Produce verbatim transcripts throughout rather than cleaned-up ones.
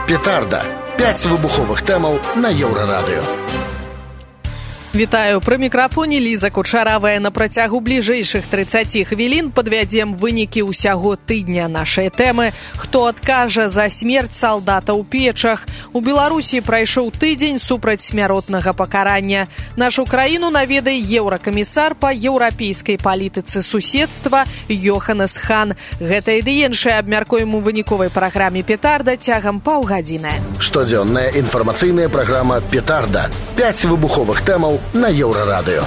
Петарда. пяць выбуховых тэмаў на Еўрарадыё. Вітаю, пры мікрафоне Ліза Кучаравая. На працягу бліжэйшых трыццаці хвілін падвядзем вынікі ўсяго тыдня нашай тэмы. Хто адкажа за смерць салдата ў печах? У Беларусі прайшоў тыдзень супраць смяротнага пакарання. Нашу краіну наведае еўракамісар па еўрапейскай палітыцы суседства Йоханнес Хан. Гэта і іншае абмяркуем у выніковай праграме «Петарда» цягам паўгадзіны. Штодзённая інфармацыйная праграма «Петарда». пяць выбуховых тэмаў на Еўрарадыё.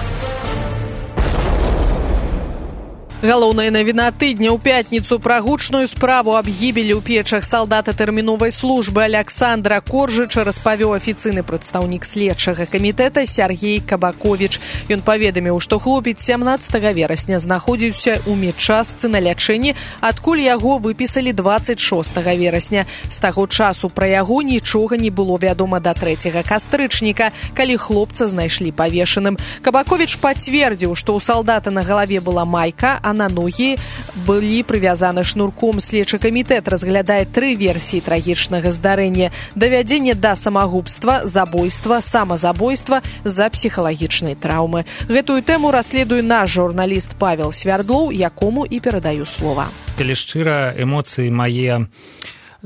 Галоўная навіна тыдня ў пятніцу пра гучную справу аб гібелі ў печах салдата тэрміновай службы Аляксандра Коржыча распавёў афіцыйны прадстаўнік следчага камітэта Сяргей Кабаковіч. Ён паведаміў, што хлопец сямнаццатага верасня знаходзіўся ў медчастцы на лячэнні, адкуль яго выпісалі дваццаць шостага верасня. З таго часу пра яго нічога не было вядома да трэцяга кастрычніка, калі хлопца знайшлі павешаным. Кабаковіч пацвердзіў, што ў салдата на галаве была майка, а на ногі былі прывязаны шнурком. Следчы камітэт разглядае тры версіі трагічнага здарэння: давядзенне да самагубства, забойства, самазабойства з-за псіхалагічнай траўмы. Гэтую тэму расследуе наш журналіст Павел Свярдлоў, якому і перадаю слова. Калі шчыра, эмоцыі мае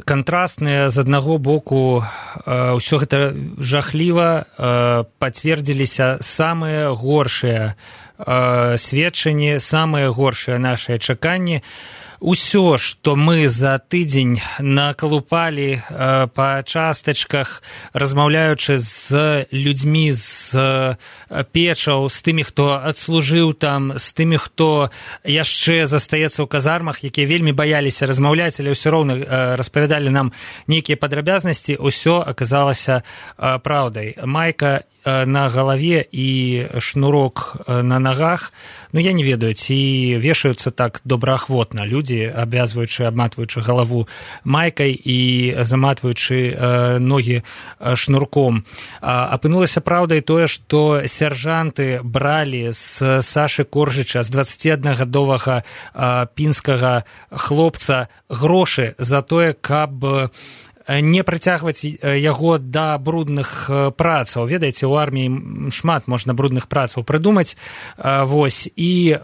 кантрастныя. З аднаго боку, ўсё гэта жахліва, пацвердзіліся самыя горшыя сведчанні, самыя горшыя нашыя чаканні. Усё, што мы за тыдзень накалупалі э, па частачках, размаўляючы з людзьмі з печаў, з тымі, хто адслужыў там, з тымі, хто яшчэ застаецца ў казармах, якія вельмі баяліся размаўляць, але ўсё роўна э, распавядалі нам нейкія падрабязнасці, усё аказалася э, праўдай. Майка на галаве і шнурок на нагах, ну, я не ведаю, ці вешаюцца так добраахвотна людзі, абвязваючы, абматваючы галаву майкай і заматваючы э, ногі шнурком. А, апынулася праўдай тое, што сяржанты бралі з Сашы Коржыча, з дваццаціаднагадовага э, пінскага хлопца, грошы за тое, каб не прыцягваць яго да брудных працаў. Ведаеце, у арміі шмат можна брудных працаў прыдумаць. Вось, і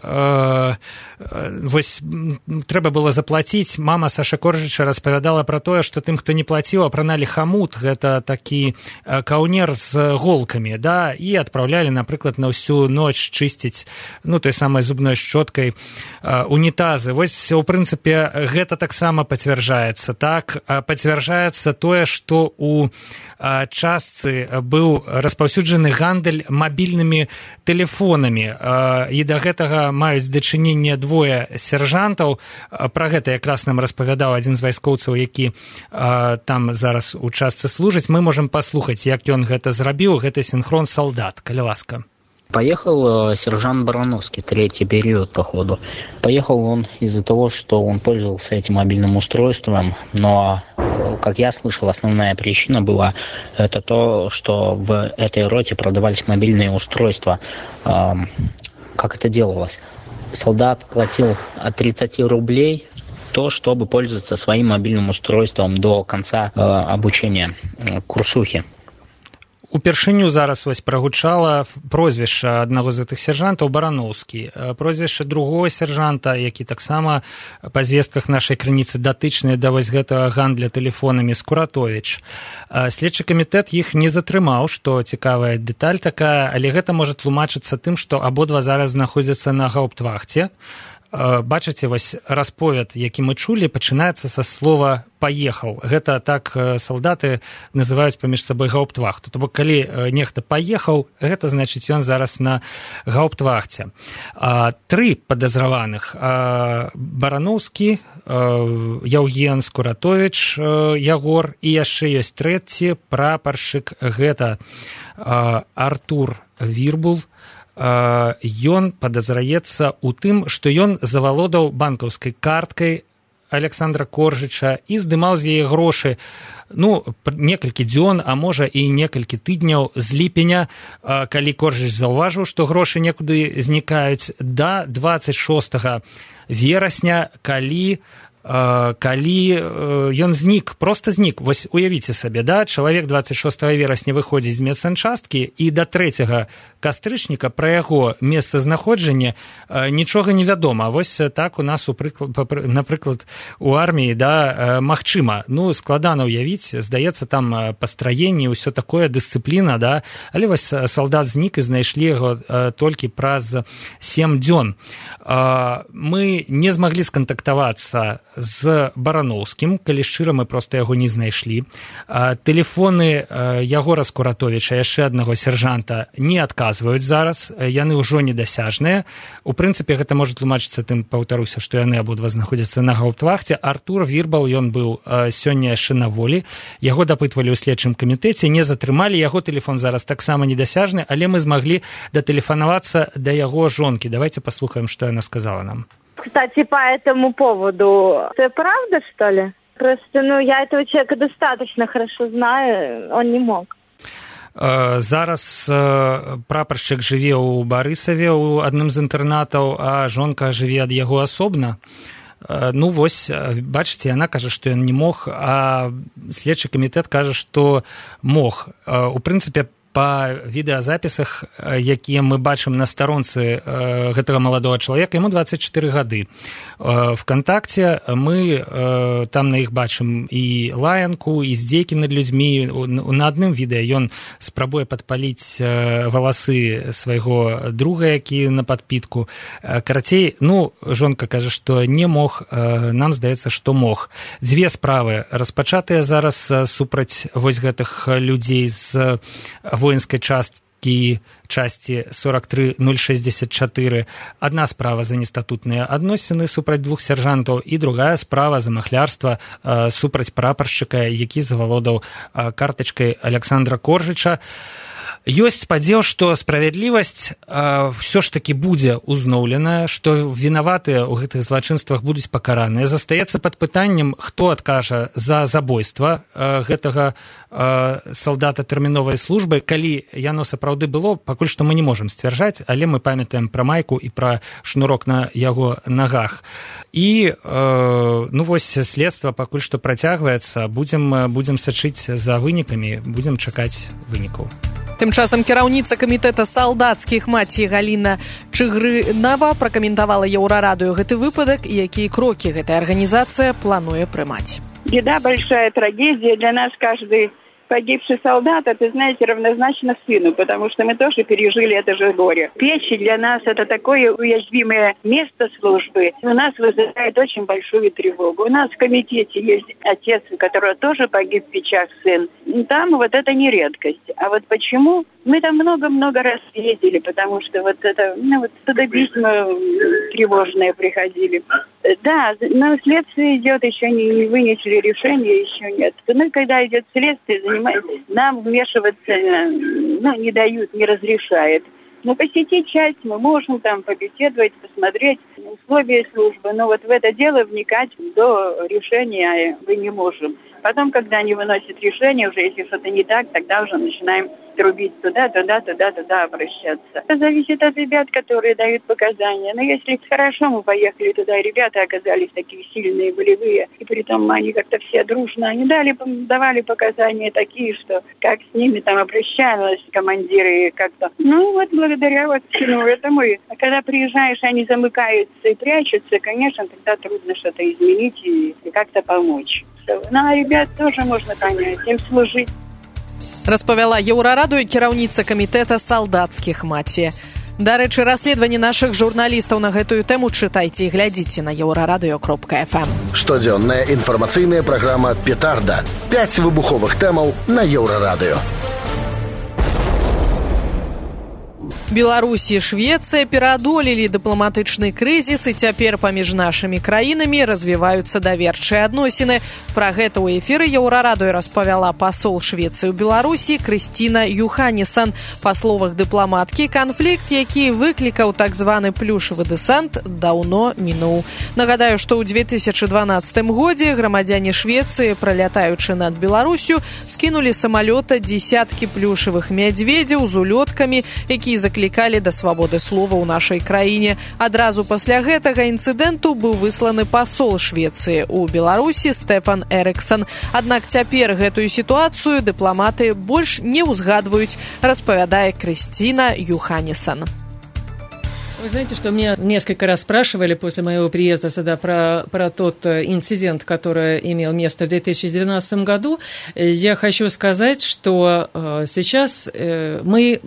вось трэба было заплаціць. Мама Саша Коржыча распавядала пра тое, што тым, хто не плаціў, апраналі хамут, гэта такі каўнер з голкамі, да, і адпраўлялі, напрыклад, на ўсю ноч чысціць, ну, той самай зубной шчоткай унітазы. Вось, у прынцыпе, гэта таксама пацвярджаецца. Так, пацвярджаецца тое, што у частцы быў распаўсюджаны гандаль мабільнымі тэлефонамі, і да гэтага маюць дачыненне двое сяржантаў. Пра гэта якраз нам распавядаў адзін з вайскоўцаў, які там зараз у частцы служыць. Мы можам паслухаць, як ён гэта зрабіў. Гэта синхрон солдат. Калі ласка. Поехал сержант Барановский, третий период, походу. Поехал он из-за того, что он пользовался этим мобильным устройством, но, как я слышал, основная причина была это то, что в этой роте продавались мобильные устройства. Как это делалось? Солдат платил от тридцати рублей то, чтобы пользоваться своим мобильным устройством до конца обучения курсухи. Упершыню зараз вось прагучала прозвішча аднаго з гэтых сяржантаў Барановскі. Прозвішча другого сяржанта, які таксама па звестках нашай крыніцы датычныя да вось гэтага гандля тэлефонамі, Скуратовіч. Следчы камітэт іх не затрымаў, што цікавая дэталь такая, але гэта можа тлумачыцца тым, што абодва зараз знаходзяцца на гауптвахце. Бачыце, вось расповед, які мы чулі, пачынаецца са слова «паехал». Гэта так салдаты называюць паміж сабой гауптвахту. То бок, калі нехта паехаў, гэта значыць, ён зараз на гауптвахце. Тры падазраваных: Барановскі, Яўген, Скуратовіч, Ягор, і яшчэ ёсць трэці прапаршчык, гэта Артур Вірбул. Ён падазраецца ў тым, што ён завалодаў банкаўскай карткай Аляксандра Коржыча і здымаў з яе грошы, ну, некалькі дзён, а можа і некалькі тыдняў з ліпеня, калі Коржыч заўважыў, што грошы некуды знікаюць, да дваццаць шостага верасня, калі калі ён знік, проста знік. Вось уявіце сабе, да, чалавек дваццаць шостага верасня выходзіць з медсанчасткі, і да трэцяга кастрычніка пра яго месцазнаходжанне нічога не вядома. Вось так у нас, у прыклад, напрыклад, у арміі, да, магчыма. Ну, складана ўявіць, здаецца, там пастраенне, ўсё такое, дысцыпліна, да, але вось салдат знік і знайшлі яго толькі праз сем дзён. Мы не змаглі скантактавацца з Бараноўскім, калі шчыра, мы проста яго не знайшлі. Тэлефоны Ягора Скуратовіча, яшчэ аднаго сержанта, не адказваюць зараз, яны ўжо недасяжныя. У прынцыпе, гэта можа тлумачыцца тым, паўтаруся, што яны абодва знаходзяцца на гаўптвахце. Артур Вірбал, ён быў сёння яшчэ на волі, яго дапытвалі ў следчым камітэце, не затрымалі, яго тэлефон зараз таксама недасяжны, але мы змаглі датэлефанавацца да яго жонкі. Давайте паслухаем, што яна сказала нам. Кстати, по этому поводу, это правда, что ли? Просто, ну, я этого человека достаточно хорошо знаю, он не мог. Зараз прапаршчык жыве ў Барысаве, у адным з інтэрнатаў, а жонка жыве ад яго асобна. Ну, вось, бачыце, яна кажа, што ён не мог, а следчы камітэт кажа, што мог. У прынцыпе, па відэазапісах, якія мы бачым на старонцы гэтага маладога чалавека, яму дваццаць чатыры гады. ВКонтакце мы там на іх бачым і лаянку, і здзекі над людзьмі. На адным відэа ён спрабуе падпаліць валасы свайго друга, які на падпітку. Карацей, ну, жонка кажа, што не мог, нам здаецца, што мог. Дзве справы распачатыя зараз супраць вось гэтых людзей з воінскай часткі часці сорок тры нуль шэсцьдзесят чатыры. Адна справа за нестатутныя адносіны супраць двух сяржантаў, і другая справа за махлярства э, супраць прапаршчыка, які завалодаў э, картачкай Аляксандра Коржыча. Ёсць спадзеў, што справядлівасць э, ўсё ж такі будзе ўзноўленая, што вінаватыя ў гэтых злачынствах будуць пакараныя. Застаецца пад пытаннем, хто адкажа за забойства э, гэтага э, салдата тэрміновай службы. Калі яно сапраўды было, пакуль што мы не можам сцвярджаць, але мы памятаем пра майку і пра шнурок на яго нагах. І, э, ну вось, следства пакуль што працягваецца, будзем, будзем сачыць за вынікамі, будзем чакаць вынікаў. Тым часам кіраўніца камітэта салдацкіх маці Галіна Чыгрынава пракаментавала Еўрарадыё гэты выпадак і якія крокі гэтая арганізацыя плануе прымаць. Беда, большая трагедия. Для нас каждый погибший солдат, это, знаете, равнозначно сыну, потому что мы тоже пережили это же горе. Печи для нас это такое уязвимое место службы. У нас вызывает очень большую тревогу. У нас в комитете есть отец, у которого тоже погиб в печах сын. Там вот это не редкость. А вот почему? Мы там много-много раз ездили, потому что вот это, ну вот туда письма тревожные приходили. Да, но следствие идет, еще не, не вынесли решение, еще нет. Ну, когда идет следствие, нам вмешиваться, ну, не дают, не разрешают. Но посетить часть мы можем, там, побеседовать, посмотреть условия службы, но вот в это дело вникать до решения мы не можем. Потом, когда они выносят решение, уже если что-то не так, тогда уже начинаем трубить туда, туда, туда, туда обращаться. Это зависит от ребят, которые дают показания. Но если хорошо мы поехали туда, и ребята оказались такие сильные, волевые, и при том они как-то все дружно, они дали, давали показания такие, что как с ними там обращались командиры как-то. Ну вот благодаря вот всему этому. А когда приезжаешь, они замыкаются и прячутся, конечно, тогда трудно что-то изменить и, и как-то помочь. Ну, а ребят тоже можно понять, им служить. Распавяла Еўрарадыё кіраўніца камітэта салдацкіх маці. Дарэчы, расследаванні нашых журналістаў на гэтую тэму чытайце і глядзіце на еўрарадыё кропка эф эм. Штодзённая інфармацыйная праграма «Петарда». Пяць выбуховых тэмаў на Еўрарадыё. Беларусь і Швецыя пераадолелі дыпламатычны крызіс, і цяпер паміж нашымі краінамі развіваюцца даверчыя адносіны. Пра гэта ў эфіры Еўрарадыё распавяла пасол Швецыі ў Беларусі Крысціна Юханесан. Па словах дыпламаткі, канфлікт, які выклікаў так званы плюшавы дэсант, даўно мінуў. Нагадаю, што ў две тысячы дванаццатым годзе грамадзяне Швецыі, пралятаючы над Беларусю, скінулі самалёта дзесяткі плюшавых мядзведзяў з улёткамі, якія заклікалі заклікалі да свабоды слова ў нашай краіне. Адразу пасля гэтага інцыдэнту быў высланы пасол Швецыі ў Беларусі Стефан Эриксон. Аднак цяпер гэтую сітуацыю дыпламаты больш не ўзгадваюць, распавядае Кристина Юханнисон. Вы знаете, что меня несколько раз спрашивали после моего приезда сюда про, про тот инцидент, который имел место в две тысячи двенадцатом году. Я хочу сказать, что сейчас мы,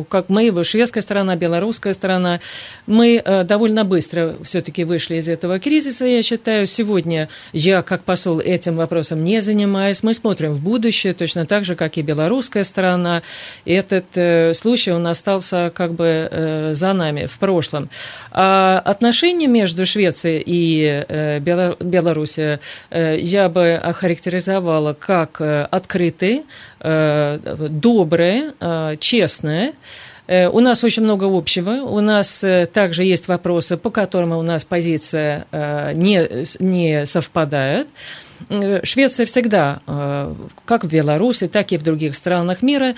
как мы, шведская сторона, белорусская сторона, мы довольно быстро все-таки вышли из этого кризиса, я считаю. Сегодня я, как посол, этим вопросом не занимаюсь. Мы смотрим в будущее, точно так же, как и белорусская сторона. И этот случай, он остался как бы за нами в прошлом. А отношения между Швецией и э, Беларусью э, я бы охарактеризовала как э, открытые, э, добрые, э, честные. Э, у нас очень много общего. У нас э, также есть вопросы, по которым у нас позиция э, не, не совпадает. Швеция всегда, как в Беларуси, так и в других странах мира,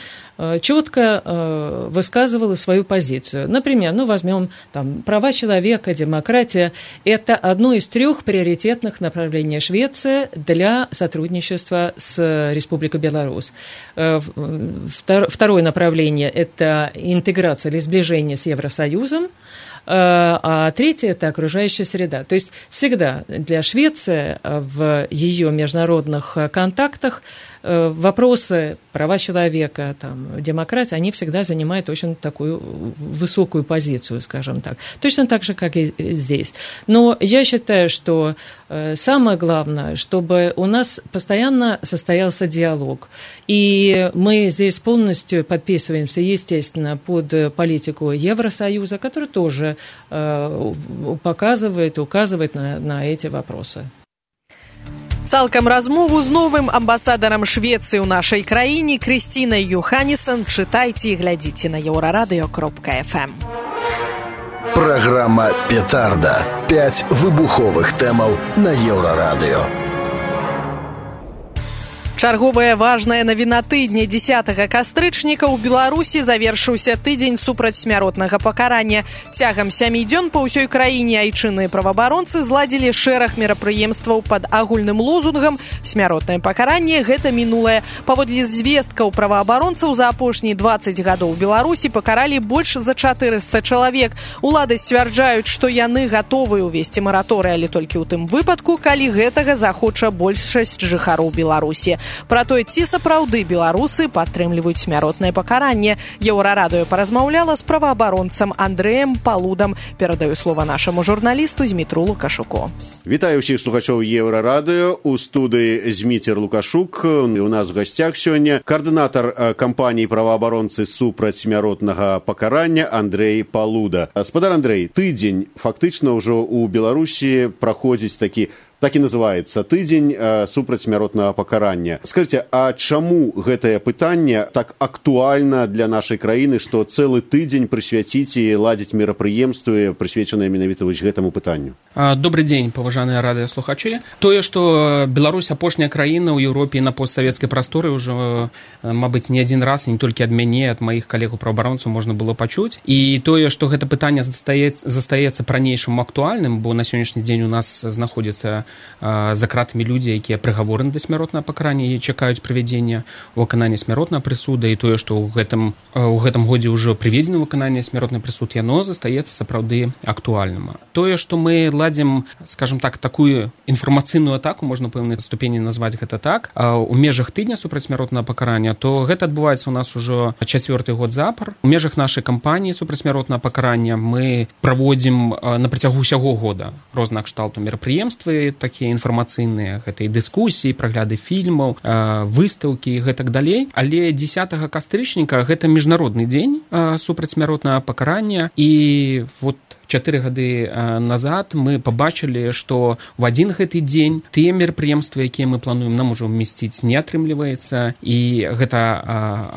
четко высказывала свою позицию. Например, ну, возьмем там, права человека, демократия. Это одно из трех приоритетных направлений Швеции для сотрудничества с Республикой Беларусь. Второе направление – это интеграция или сближение с Евросоюзом. А третье – это окружающая среда. То есть всегда для Швеции в ее международных контактах вопросы права человека, там, демократии, они всегда занимают очень такую высокую позицию, скажем так. Точно так же, как и здесь. Но я считаю, что самое главное, чтобы у нас постоянно состоялся диалог. И мы здесь полностью подписываемся, естественно, под политику Евросоюза, который тоже показывает, указывает на, на эти вопросы. Цалкам размову з новым амбасадарам Швецыі ў нашай краіне Кристинай Юханнисон чытайце і глядзіце на еўрарадыё кропка эф эм. Праграма «Петарда». Пяць выбуховых тэмаў на еўрарадыё. Чарговая важная навіна тыдня дзесятага кастрычніка ў Беларусі завершыўся тыдзень супрацьсмяротнага пакарання. Цягам сямі дзён па ўсёй краіне айчынныя праваабаронцы зладзілі шэраг мерапрыемстваў пад агульным лозунгам «Смяротнае пакаранне – гэта мінулае». Паводле звесткаў праваабаронцаў за апошнія дваццаць гадоў у Беларусі пакаралі больш за чатырыста чалавек. Улады сцвярджаюць, што яны гатовы ўвесці мараторый, але толькі ў тым выпадку, калі гэтага захоча большасць жыхароў Беларусі. Пра тое, ці сапраўды беларусы падтрымліваюць смяротнае пакаранне, Еўрарадыё паразмаўляла з праваабаронцам Андрэем Палудам. Перадаю слова нашаму журналісту Змітру Лукашуку. Вітаю ўсіх слухачоў Еўрарадыё. У студыі Зміцер Лукашук. У нас у гасцях сёння каардынатар кампаніі праваабаронцы супраць смяротнага пакарання Андрэй Палуда. Спадар Андрэй, тыдзень фактычна ўжо ў Беларусі праходзіць такі Так і называецца тыдзень э, супраць смяротнага пакарання. Скажыце, а чаму гэтае пытанне так актуальна для нашай краіны, што цэлы тыдзень прысвяціць і ладзіць мерапрыемствы, прысвечаныя менавіта вось гэтаму пытанню? Добрый дзень, паважаныя радыёслухачы. Тое, што Беларусь апошняя краіна ў Еўропе і на постсавецкай прасторы ўжо, мабыць, не адзін раз, і не толькі ад мяне, ад маіх калегаў-праваабаронцаў можна было пачуць. І тое, што гэта пытанне застаецца, застаецца пранейшым актуальным, бо на сённяшні дзень у нас знаходзіцца за кратамі людзі, якія прыгавораны да смяротнага пакарання і чакаюць прывядзення выканання смяротнага прысуда, і тое, што ў гэтым, у гэтым годзе ўжо прыведзена выкананне смяротнага прысуд, яно застаецца сапраўды актуальным. Тое, што мы ладзім, скажем так, такую інфармацыйную атаку, можна пэўнай ступені назваць гэта так, у межах тыдня супраць смяротнага пакарання, то гэта адбываецца у нас ужо чацвёрты год запар. У межах нашай кампаніі супраць смяротнага пакарання мы праводзім на працягу ўсяго года рознага кшталту мерапрыемствы, такія інфармацыйныя, гэта і дыскусіі, прагляды фільмаў, выстаўкі і гэтак далей. Але дзесятага кастрычніка гэта міжнародны дзень супраць смяротнага пакарання, і вот чатыры гады назад мы пабачылі, што в адзін гэты дзень тыя мерапрыемствы, якія мы плануем, нам ужо ўмесціць не атрымліваецца. І гэта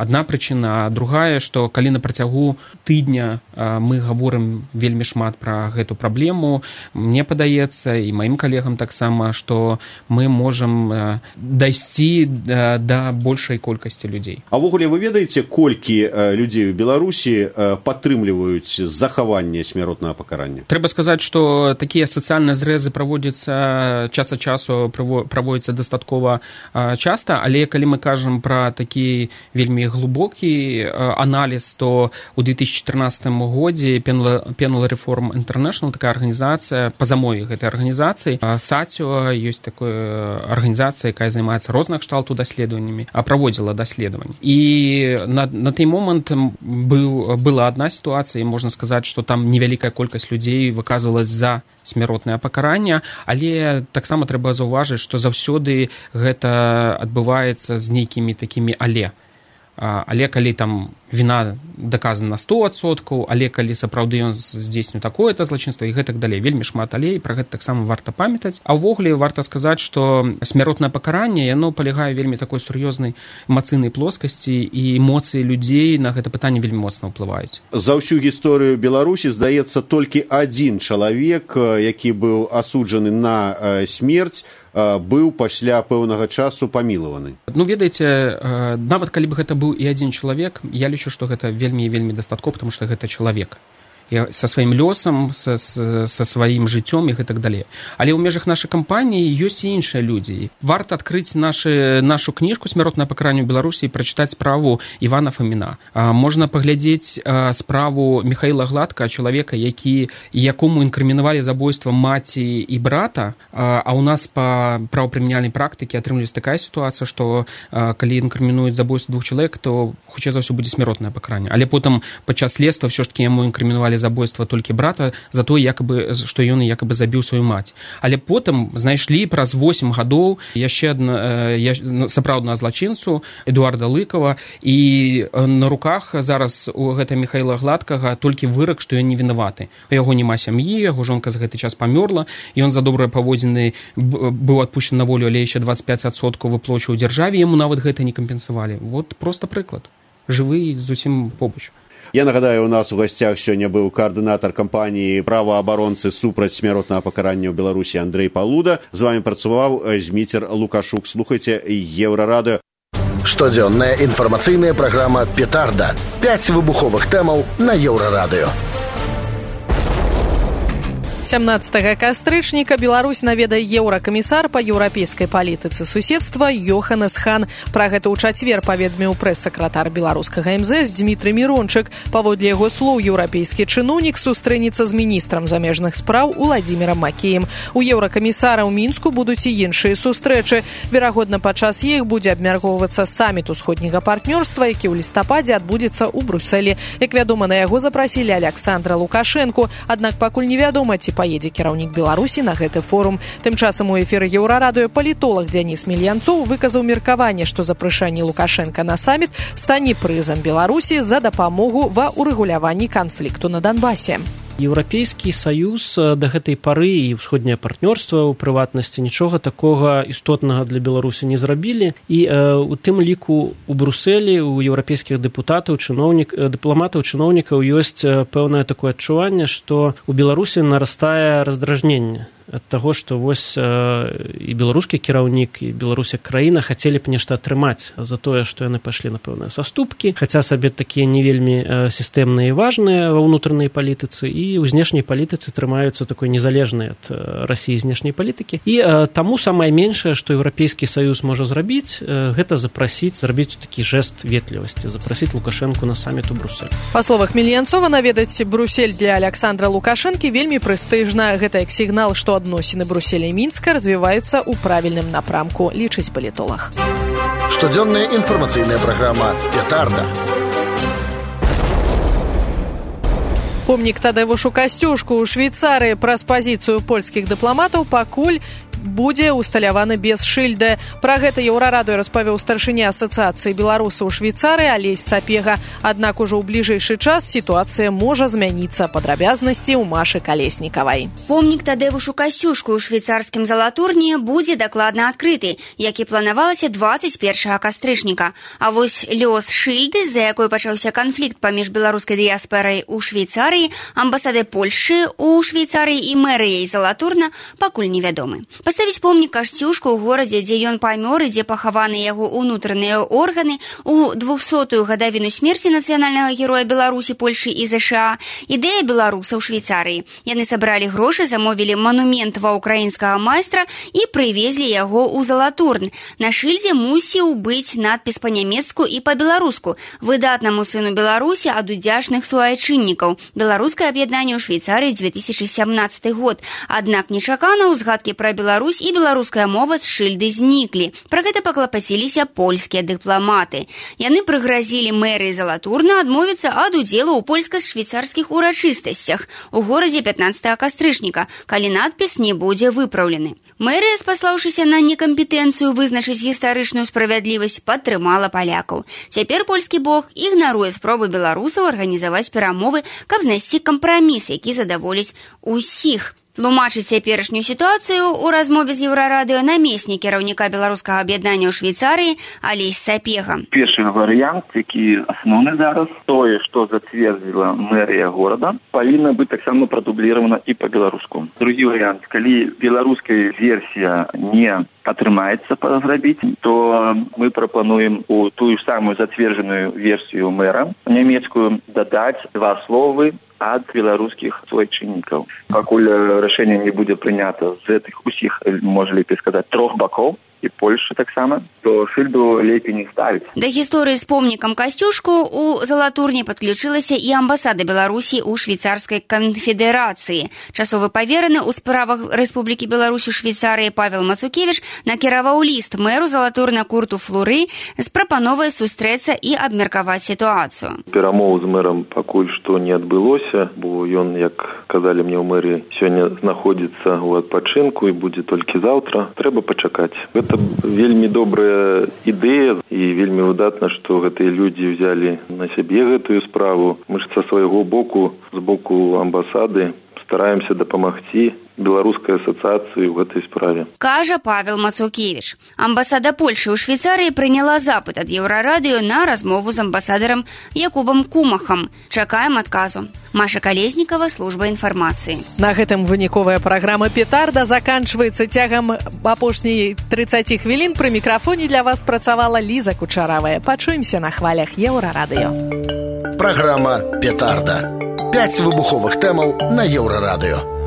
адна прычына. Другая, што калі на працягу тыдня мы гаворым вельмі шмат пра гэту праблему, мне падаецца, і маім калегам таксама, што мы можам дайсці да большай колькасці людзей. А ўвогуле вы ведаеце, колькі людзей у Беларусі падтрымліваюць захаванне смяротнага пакарання? Трэба сказаць, што такія сацыяльныя зрэзы праводзяцца час ад часу, праводзяцца дастаткова часта, але калі мы кажам пра такі вельмі глыбокі аналіз, то ў две тысячи чатырнаццатым годзе Penal Reform International, такая арганізацыя, па замове гэтай арганізацыі, сацыо, ёсць такая арганізацыя, якая займаецца розных кшталту даследаваннямі, праводзіла даследаванні. І на, на той момант быў, была адна сітуацыя, і можна сказаць, што там невялікая колькасць людзей выказвалась за смяротнае пакаранне, але таксама трэба заўважыць, што заўсёды гэта адбываецца з нейкімі такімі але. Але калі там віна даказана на сто адсоткаў, але калі сапраўды ён здзейсніў такое-то злачынства і гэтак далей. Вельмі шмат але, і пра гэта таксама варта памятаць. А ўвогуле варта сказаць, што смяротнае пакаранне, яно палягае вельмі такой сур'ёзнай эмацыйнай плоскасці, і эмоцыі людзей на гэта пытанне вельмі моцна ўплываюць. За ўсю гісторыю Беларусі, здаецца, толькі адзін чалавек, які быў асуджаны на смерць, быў пасля пэўнага часу памілаваны. Ну, ведаеце, нават калі бы гэта быў і адзін чалавек, я лічу, што гэта вельмі і вельмі дастаткова, потому што гэта чалавек. Са сваім лёсам, са, са сваім жыццём і гэтак далей. Але ў межах нашай кампаніі ёсць і іншыя людзі. Варта адкрыць нашы, нашу кніжку «Смяротнае пакаранне ў Беларусі» і прачытаць справу Івана Фаміна. Можна паглядзець справу Михаіла Гладка, чалавека, які, якому інкрымінавалі забойства маці і брата, а ў нас па правапрымяняльнай практыке атрымліваецца такая сітуацыя, што калі інкрымінуюць забойства двух чалавек, то хутчэй за ўсё будзе смяротнае пакаранне. Але потым падчас следства ўсё ж такі яму інкрымінавалі забойства толькі брата за то, якабы, што ён якабы забіў сваю маці. Але потым знайшлі праз восем гадоў яшчэ адна, сапраўднага злачынцу Эдуарда Лыкова, і на руках зараз у гэта Михаіла Гладкага толькі вырак, што ён не вінаваты. У яго няма сям'і, яго жонка за гэты час памёрла, ён за добрыя паводзіны быў адпушчаны на волю, але яшчэ дваццаць пяць адсоткаў выплачваў дзяржаве, яму нават гэта не кампенсавалі. Вот проста прыклад. Жывы зусім побач. Я нагадаю, у нас у гасцях сёння быў каардынатар кампаніі праваабаронцы супраць смяротнага пакарання ў Беларусі Андрэй Палуда. З вами працаваў Зміцер Лукашук. Слухайце Еўрарадыё. Штодзённая інфармацыйная праграма «Петарда». Пяць выбуховых тэмаў на Еўрарадыё. сямнаццатага кастрычніка Беларусь наведае еўракамісар па еўрапейскай палітыцы суседства Йоханнес Хан. Пра гэта ў чацвер паведаміў прэс-сакратар беларускага эм зэ эс Дмітрый Мірончык. Паводле яго слоў, еўрапейскі чыноўнік сустрэнецца з міністрам замежных спраў Уладзімірам Макеем. У еўракамісара ў Мінску будуць і іншыя сустрэчы. Верагодна, падчас іх будзе абмяркоўвацца саміт усходняга партнёрства, які ў лістападзе адбудзецца ў Брусэлі. Як вядома, на яго запрасілі Аляксандра Лукашэнку, аднак пакуль невядома, ці паедзе кіраўнік Беларусі на гэты форум. Тым часам у эфіры Еўрарадыё палітолог Дзяніс Мільянцоў выказаў меркаванне, што запрашэнне Лукашэнка на саміт стане прызам Беларусі за дапамогу ва ўрэгуляванні канфлікту на Донбасе. Еўрапейскі саюз да гэтай пары і ўсходняе партнёрства ў прыватнасці нічога такога істотнага для Беларусі не зрабілі, і э, у тым ліку у Брусэлі у еўрапейскіх дэпутатаў, чыноўнік, дыпламатаў, чыноўнікаў ёсць пэўнае такое адчуванне, што у Беларусі нарастае раздражненне ад таго, што вось э, і беларускі кіраўнік, і Беларусь як краіна хацелі б нешта атрымаць за тое, што яны пайшлі на пэўныя саступкі, хаця сабе такія не вельмі э, сістэмныя і важныя ва ўнутранай палітыцы, і ў знешняй палітыцы трымаюцца такой незалежнай ад э, Расіі знешняй палітыкі. І э, таму самае меншае, што Еўрапейскі саюз можа зрабіць, э, гэта запрасіць, зрабіць такі жэст ветлівасці, запрасіць Лукашэнку на саміт у Брусэль. Па словах Мільянцова, наведаць Бруссель для Аляксандра Лукашэнкі вельмі прэстыжна. Гэта як сігнал, што адносіны Брусселя і Мінска развіваюцца ў правільным напрамку, лічыць палітолог. Штодзённая інфармацыйная праграма «Петарда». Помнік Тадевушу Касцюшку ў Швейцарыі праз пазіцыю польскіх дыпламатаў пакуль будзе усталяваны без шыльды. Пра гэта Еўрарадыё распавёў старшыня асацыяцыі беларусаў у Швейцарыі Алесь Сапега. Аднак ужо ў бліжэйшы час сітуацыя можа змяніцца. Падрабязнасці ў Машы Калеснікавай. Помнік Тадэвушу Касцюшку ў швейцарскім Залатурні будзе дакладна адкрыты, як і планавалася дваццаць першага кастрычніка. А вось лёс шыльды, з-за якой пачаўся канфлікт паміж беларускай дыяспорай у Швейцарыі, амбасадай Польшы у Швейцарыі і мэрыяй Залатурна пакуль невядомы. Паставіць помнік Касцюшку ў горадзе, дзе ён памёр і дзе пахаваны яго ўнутраныя органы, у двухсотую гадавіну смерці нацыянальнага героя Беларусі, Польшы і ЗША, ідэя беларусаў Швейцарыі. Яны сабралі грошы, замовілі манумент ва ўкраінскага майстра і прывезлі яго ў Залатурн. На шыльдзе мусіў быць надпіс па-нямецку і па-беларуску: выдатнаму сыну Беларусі ад удзячных суайчыннікаў. Беларускае аб'яднанне ў Швейцарыі дзве тысячы сямнаццаты год. Аднак нечакана ўзгадкі пра Беларусь і беларуская мова з шыльды зніклі. Пра гэта паклапаціліся польскія дыпламаты. Яны прыгразілі мэрыі Залатурна адмовіцца ад удзелу ў польска-швейцарскіх урачыстасцях у горадзе пятнаццатага кастрычніка, калі надпіс не будзе выпраўлены. Мэрыя, спаслаўшыся на некампетэнцыю вызначыць гістарычную справядлівасць, падтрымала палякаў. Цяпер польскі бок ігнаруе спробы беларусаў арганізаваць перамовы, каб знайсці кампраміс, які задаволіць усіх. Тлумачыць цяперашнюю сітуацыю ў размове з Еўрарадыё намеснік кіраўніка беларускага аб'яднання ў Швейцарыі Алесь Сапега. Першы варыянт, які асноўны зараз, тое, што зацвердзіла мэрыя горада, павінна быць таксама прадубліравана і па-беларуску. Другі варыянт, калі беларуская версія не атрымаецца зрабіць, то мы прапануем у тую самую зацверджаную версію мэра нямецкую дадаць два словы ад беларускіх суайчыннікаў. Пакуль рашэнне не будзе прынята з гэтых усіх, можа лепей сказаць, трох бакоў, і Польша таксама, то шыльду лепей не ставіць. Да гісторыі з помнікам Касцюшку у Залатурні падключылася і амбасада Беларусі ў Швейцарскай канфедэрацыі. Часовы павераны ў справах Рэспублікі Беларусь у Швейцарыі Павел Мацукевіч накіраваў ліст мэру Залатурна Курту Флуры з прапановай сустрэцца і абмеркаваць сітуацыю. Перамоў з мэрам пакуль што не адбылося, бо ён, як казалі мне ў мэрыі, сёння знаходзіцца ў адпачынку і будзе толькі заўтра. Трэба пачакаць. Гэта вельмі добрая ідэя і вельмі выдатна, што гэтыя людзі взялі на сябе гэтую справу. Мы ж са свайго боку, з боку амбасады, стараемся дапамагці беларускай асацыяцыі ў гэтай справе. Кажа Павел Мацукевіч. Амбасада Польшы ў Швейцарыі прыняла запыт ад Еўрарадыё на размову з амбасадарам Якубам Кумахам. Чакаем адказу. Маша Калеснікава, служба інфармацыі. На гэтым выніковая праграма «Петарда» заканчваецца. Цягам апошняй трыццаці хвілін пры мікрафоне для вас працавала Ліза Кучаравая. Пачуемся на хвалях Еўрарадыё. Праграма «Петарда». Пяць выбуховых тэмаў на Еўрарадыё.